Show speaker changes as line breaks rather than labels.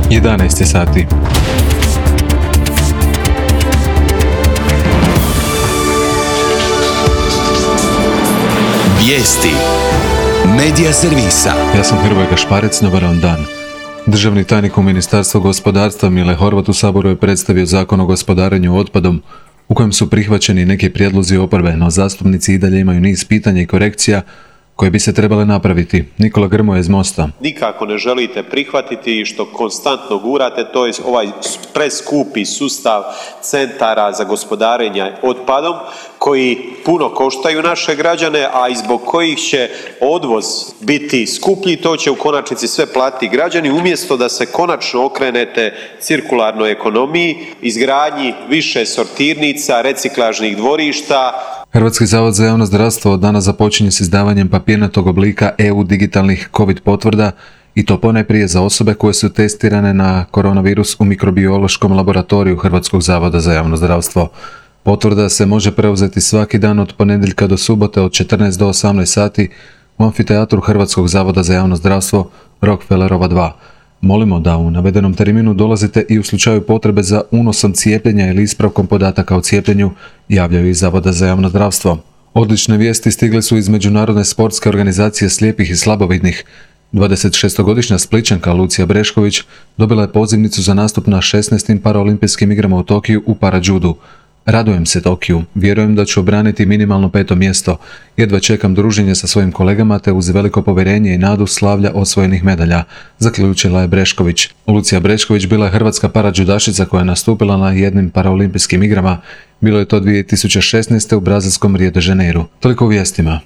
11 sati.
Vijesti Medija servisa.
Ja sam Hrvoje Gašparec, dobar vam dan. Državni tajnik u Ministarstvu gospodarstva Mile Horvat u Saboru je predstavio Zakon o gospodarenju otpadom u kojem su prihvaćeni neki prijedlozi oporbe, no zastupnici i dalje imaju niz pitanja i korekcija koje bi se trebale napraviti. Nikola Grmoja iz Mosta.
Nikako ne želite prihvatiti i što konstantno gurate, to je ovaj preskupi sustav centara za gospodarenje otpadom koji puno koštaju naše građane, a i zbog kojih će odvoz biti skuplji, to će u konačnici sve platiti građani, umjesto da se konačno okrenete cirkularnoj ekonomiji, izgradnji više sortirnica, reciklažnih dvorišta.
Hrvatski zavod za javno zdravstvo od danas započinje s izdavanjem papirnatog oblika EU digitalnih COVID potvrda i to ponajprije za osobe koje su testirane na koronavirus u mikrobiološkom laboratoriju Hrvatskog zavoda za javno zdravstvo. Potvrda se može preuzeti svaki dan od ponedjeljka do subote od 14 do 18 sati u amfiteatru Hrvatskog zavoda za javno zdravstvo Rockefellerova 2. Molimo da u navedenom terminu dolazite i u slučaju potrebe za unosom cijepljenja ili ispravkom podataka o cijepljenju, javljaju iz Zavoda za javno zdravstvo. Odlične vijesti stigle su iz Međunarodne sportske organizacije slijepih i slabovidnih. 26-godišnja Splićanka Lucija Brešković dobila je pozivnicu za nastup na 16. paraolimpijskim igrama u Tokiju u parajudu. Radujem se Tokiju, vjerujem da ću obraniti minimalno 5. mjesto, jedva čekam druženje sa svojim kolegama te uz veliko povjerenje i nadu slavlja osvojenih medalja, zaključila je Brešković. Lucija Brešković bila je hrvatska parajudašica koja je nastupila na jednim paraolimpijskim igrama, bilo je to 2016. u brazilskom Rio de Janeiru. Toliko u vijestima.